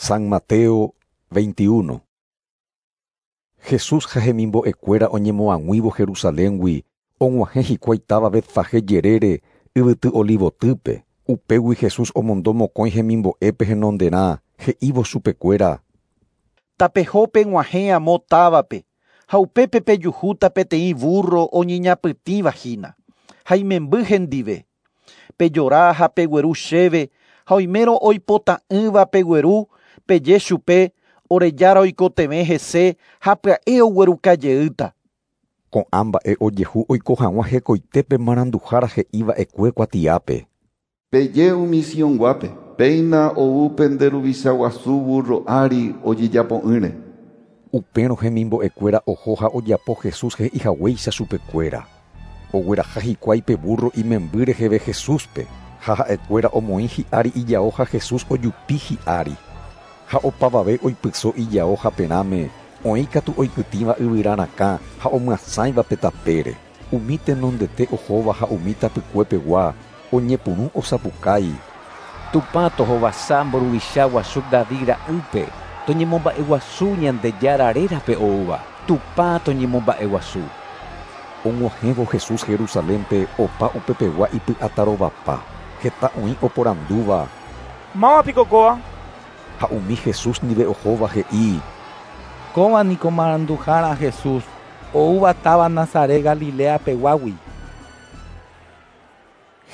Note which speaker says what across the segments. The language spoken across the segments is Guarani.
Speaker 1: San Mateo 21. Jesús ha hemimbo'ekuéra oñemoag̃uívo Jerusaléngui, og̃uahẽ hikuái táva Betfagé jerére yvyty Olivotýpe. Upégui Jesús omondo mokõi hemimbo'épe henonderã, he'ívo chupekuéra:
Speaker 2: Tapeho peg̃uahẽ amo távape, ha upépe pejuhúta peteĩ burro oñeñapytĩva hína, ha imemby hendive. Pejora ha pegueru chéve, ha oimérõ oipota'ỹva pegueru, peje chupe, ore jára oikotevẽ hese ha pya'e oguerukajeýta.
Speaker 1: Ko'ã mba'e ojehu oiko hag̃ua hekoitépe maranduhára he'iva'ekue kuatiápe.
Speaker 3: Peje umi Sionguápe, péina ou pende ruvicha guasu burro ári ojejapo'ỹre.
Speaker 1: Upérõ hemimbo'ekuéra oho ha ojapo Jesús he'ihaguéicha chupekuéra. Ogueraha hikuái pe burro imemby reheve Jesúspe, ha ha'ekuéra omoĩ hi'ári ijao ha Jesús ojupi hi'ári. Ha opavave oipyso ijao haperãme, oĩkatu oikytĩva yvyra rakã ha omyasãiva pe tapére. Umi tenondete ohóva ha umi tapykuepegua oñepyrũ osapukái.
Speaker 4: Tupã tohovasa mburuvicha guasu David ra'ýpe, toñemomba'eguasu Ñandejára rérape oúva. Tupã toñemomba'eguasu.
Speaker 1: Og̃uahẽvo Jesús Jerusalénpe opa upepegua ipy'atarovapa. Heta oĩ oporandúva.
Speaker 5: Mávapiko kóva?
Speaker 1: Ha umi Jesús ndive ohóva he'i:
Speaker 6: Kóva niko maranduhára Jesús, oúva táva Nazaret Galilea peguágui.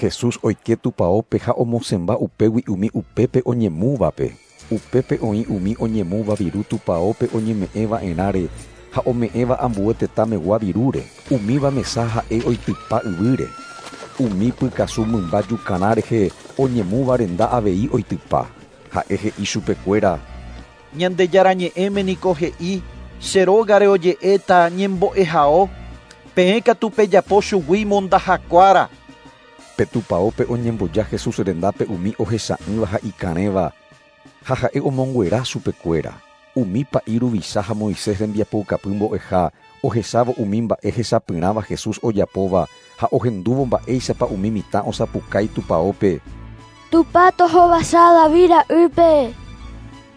Speaker 1: Jesús oike tupãópe ha omosẽmba upégui umi upépe oñemúvape. Upépe oĩ umi oñemúva viru tupãópe oñeme'ẽva'erãre ha ome'ẽva ambue tetãmegua virúre. Umíva mesa ha'e oitypa yvýre. Umi pykasu mymba jukarã rehe oñemúva renda avei oitypa. Ha'e he'i chupekuéra:
Speaker 2: Ñandejára ñe'ẽme niko he'i, che rógare oje'éta ñembo'ehao, peẽ katu pejapo chugui mondahakuára.
Speaker 1: Pe tupãópe oñemboja Jesús rendápe umi ohecha'ỹva ha ikarẽva, ha ha'e omonguera chupekuéra. Umi pa'i ruvicha ha Moisés rembiapoukapy mbo'eha ohechávo umi mba'e hechapyrãva Jesús ojapóva ha ohendúvo mba'éichapa umi mitã osapukái tupãópe.
Speaker 7: Tupã tohovasa David ra'ýpe.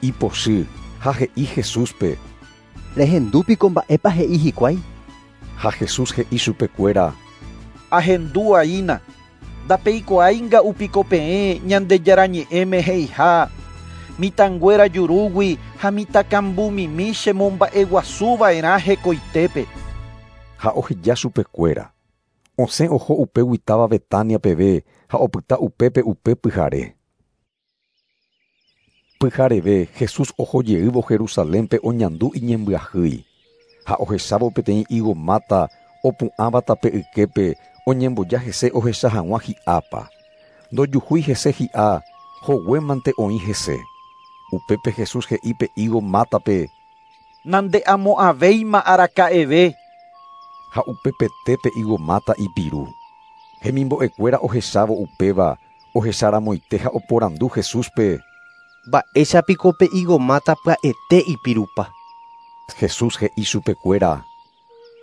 Speaker 1: Ipochy ha he'i Jesúspe:
Speaker 8: Rehendúpiko mba'épa he'i hikuái?
Speaker 1: Ha Jesús he'i chupekuéra:
Speaker 2: Ahendú'aína. Ndapeikuaáinga'upiko peẽ Ñandejára ñe'ẽme he'iha, mitãnguéra jurúgui ha mitãkambumimi chemomba'eguasuva'erã hekoitépe.
Speaker 1: Ha oheja chupekuéra. Osẽ oho upégui táva Betania peve ha opyta upépe upe pyhare. Pyhareve Jesús ohojeývo Jerusalénpe oñandu iñembyahýi. Ha ohechávo peteĩ higo máta opu'ãva tape yképe oñemboja hese ohecha hag̃ua hi'ápa. Ndojuhúi hese hi'a, hoguémante oĩ hese. Upépe Jesús he'i pe higo mátape:
Speaker 2: Nande'amo'ãvéima araka'eve.
Speaker 1: Ha upepete pe higo máta ipiru. Hemimbo'ekuéra ohechávo upéva, ohecharamoite ha oporandu Jesúspe:
Speaker 8: Mba'éichapiko pe higo máta pya'ete ipirupa.
Speaker 1: Jesús he'i chupekuéra: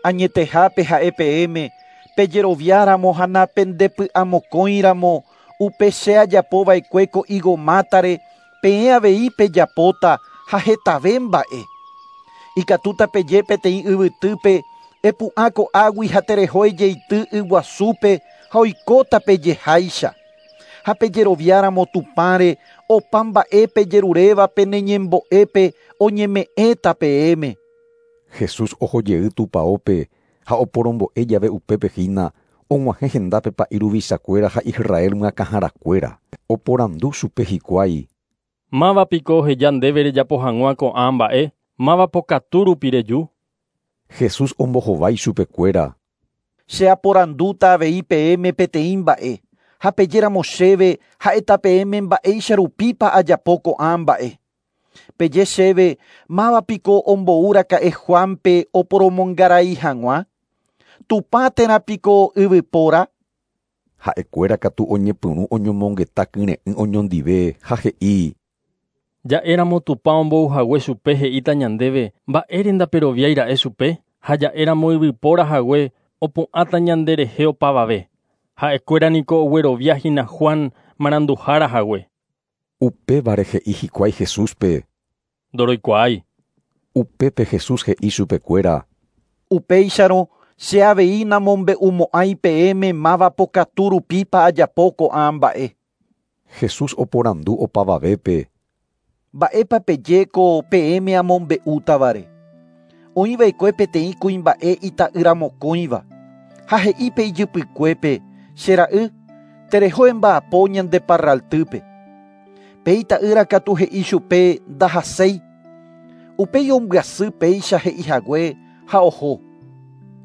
Speaker 2: Añetehápe ha'e peẽme, pejeroviáramo ha napendepy'amokõiramo, upe che ajapova'ekue ko higo mátare, peẽ avei pejapóta ha hetave mba'e. Ikatúta peje peteĩ yvytýpe, epu'ã ko'águi ha tereho ejeity yguasúpe ha oikóta pejeháicha. Ha pejeroviáramo Tupãre, opa mba'e pejeruréva peneñembo'épe oñeme'ẽta peẽme.
Speaker 1: Jesús ohojey tupãópe ha oporombo'e jave upépe hína, og̃uahẽ hendápe pa'i ruvichakuéra ha Israel myakãharakuéra. Oporandu chupe hikuái:
Speaker 9: Mávapiko oheja ndéve rejapo hag̃ua ko'ã mba'e, máva pokatu rupi reju?
Speaker 1: Jesús ombohovái chupekuéra:
Speaker 2: Che aporandúta avei peẽme peteĩ mba'e, ha pejéramo chéve ha'éta peẽme mba'éicha rupípa ajapo ko'ã mba'e. Peje chéve mávapiko omboúraka'e Juanpe oporomongarai hag̃ua? Tupã térã piko yvypóra?
Speaker 1: Ha'ekuéra katu oñepyrũ oñomongeta kyre'ỹ oñondive ha he'i:
Speaker 9: Ja'éramo Tupã ombouhague chupe he'íta ñandéve mba'ére ndaperoviáira'e chupe, ha ja'éramo yvypóra hague opu'ãta ñanderehe opavave. Ha'ekuéra niko ogueroviahína Juan maranduhára hague.
Speaker 1: Upévare he'i hikuái Jesúspe:
Speaker 9: Ndoroikuaái.
Speaker 1: Upépe Jesús he'i chupekuéra.
Speaker 2: Upéicharõ che avei namombe'umo'ãi peẽme máva pokatu rupípa ajapo ko'ã mba'e.
Speaker 1: Jesús oporandu opavavépe.
Speaker 2: Mba'épa peje ko peẽme amombe'útavare. Oĩva'ekue peteĩ kuimba'e ita'ýra mokõiva ha he'i pe ijypykuépe che ra'y tereho emba'apo ñande parraltýpe. Pe ita'ýra katu he'i chupe ndahaséi. Upéi ombyasy péicha he'ihague ha oho.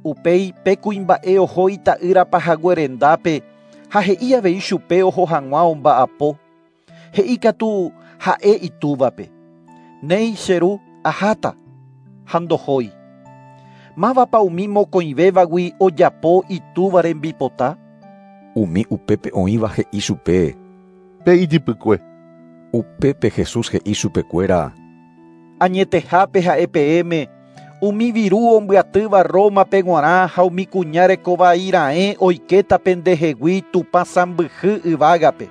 Speaker 2: Upéi pe kuimba'e oho ita'ýra pahague rendápe ha he'i avei chupe oho hag̃ua omba'apo. He'i katu ha'e itúvape. Néi che ru aháta ha ndohói. Mávapa umi mokõivévagui ojapo itúva rembipota?
Speaker 1: Umi upépe oĩva he'i chupe.
Speaker 10: Pe ijypykue.
Speaker 1: Upépe Jesús he'i chupekuéra.
Speaker 2: Añetehápe ha'e peẽme umi viru ombyatýva Rómape g̃uarã ha umi kuña rekovai raẽ oikéta pendehegui Tupã sãmbyhy yvágape.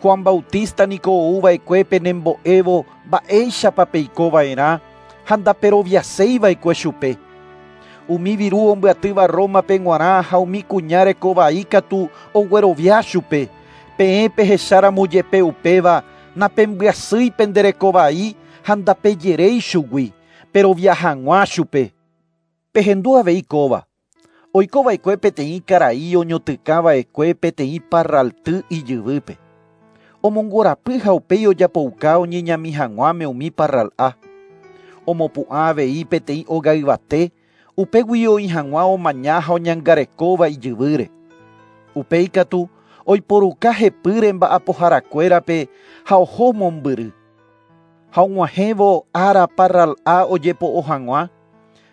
Speaker 2: Juan Bautista niko ouva'ekue penembo'évo mba'éichapa peikova'erã ha ndaperoviaséiva'ekue chupe. Umi viru ombyatýva Rómape g̃uarã ha umi kuña rekovai katu oguerovia chupe. Peẽ pehecháramo jepe upéva napembyasýi pende rekovai ha ndapejeréi chugui perovia hag̃ua chupe. Pehendu avei kóva. Oikova'ekue peteĩ karai oñotykãva'ekue peteĩ parralty ijyvýpe. Omongorapy ha upéi ojapouka oñeñami hag̃uáme umi parral'a. Omopu'ã avei peteĩ óga yvate upégui oĩ hag̃ua omaña ha oñangarekóva ijyvýre. Upéi katu oiporuka hepýre mba'apoharakuérape ha oho mombyry. Ha og̃uahẽvo ára parral'a ojepo'o hag̃ua,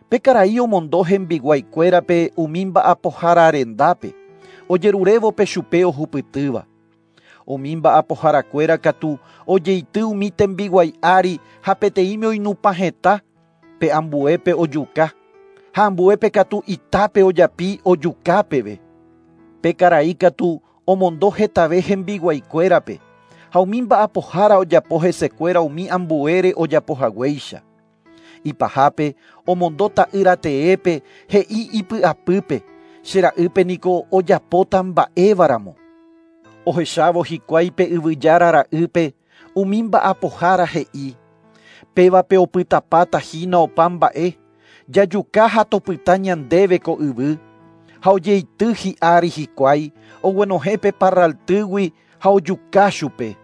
Speaker 2: pe karai omondo hembiguaikuérape umi mba'apohára rendápe, ojerurévo pe chupe ohupytýva. Umi mba'apoharakuéra katu ojeity umi tembiguái ári ha peteĩme oinupã heta, pe ambuépe ojuka, ha ambuépe katu itápe ojapi ojuka peve. Pe karai katu omondo hetave hembiguaikuérape ha umi mba'apohára ojapo hesekuéra umi ambuére ojapohaguéicha. Ipahápe omondo ta'ýra teépe he'i ipy'apýpe che ra'ýpe niko ojapóta mba'évaramo. Ohechávo hikuái pe yvyjára ra'ýpe umi mba'apohára he'i pévape opytapáta hína opa mba'e jajuka ha topyta ñandéve ko yvy ha ojeity hi'ári hikuái oguenohẽ pe parraltýgui ha ojuka chupe.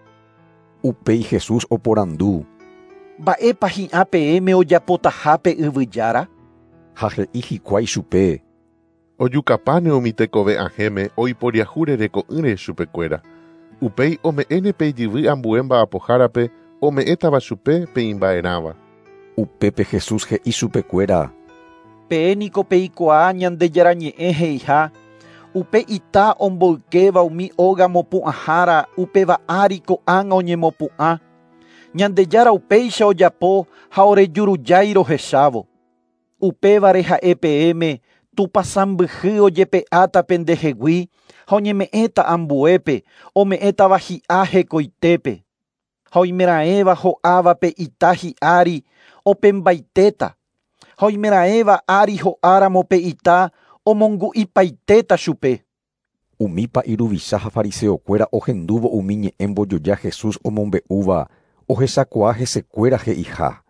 Speaker 1: Upéi Jesús oporandu.
Speaker 2: Mba'épa hi'ã peẽme ojapotaha pe yvyjára?
Speaker 1: Ha he'i hikuái chupe.
Speaker 10: Ojukapáne umi tekove ahẽme oiporiahu rereko'ỹre chupekuéra. Upéi ome'ẽne pe ijyvy ambue mba'apohárape ome'ẽtava chupe pe imba'erãva.
Speaker 1: Upépe Jesús he'i chupekuéra.
Speaker 2: Peẽ niko peikuaa Ñandejára ñe'ẽ he'iha upe ita omboykéva umi óga mopu'ãhára upéva ári ko'ág̃a oñemopu'ã. Ñandejára upéicha ojapo ha orejurujái rohechávo. Upévare ha'e peẽme Tupã sãmbyhy ojepe'áta pendehegui ha oñeme'ẽta ambuépe ome'ẽtava hi'a hekoitépe. Ha oimeraẽva ho'áva pe ita hi'ári opembaitéta. Ha oimeraẽva ári ho'áramo pe ita omongu'ipaitéta chupe.
Speaker 1: Umi pa'i ruvicha ha fariseokuéra ohendúvo umi ñe'ẽ mbojoja Jesús omombe'úva ohechakuaa hesekuéra he'iha.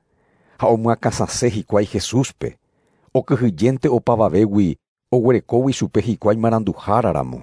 Speaker 1: Ha omyakãsase hikuái Jesúspe. Okyhyjénte opavavégui oguerekógui chupe hikuái maranduháraramo.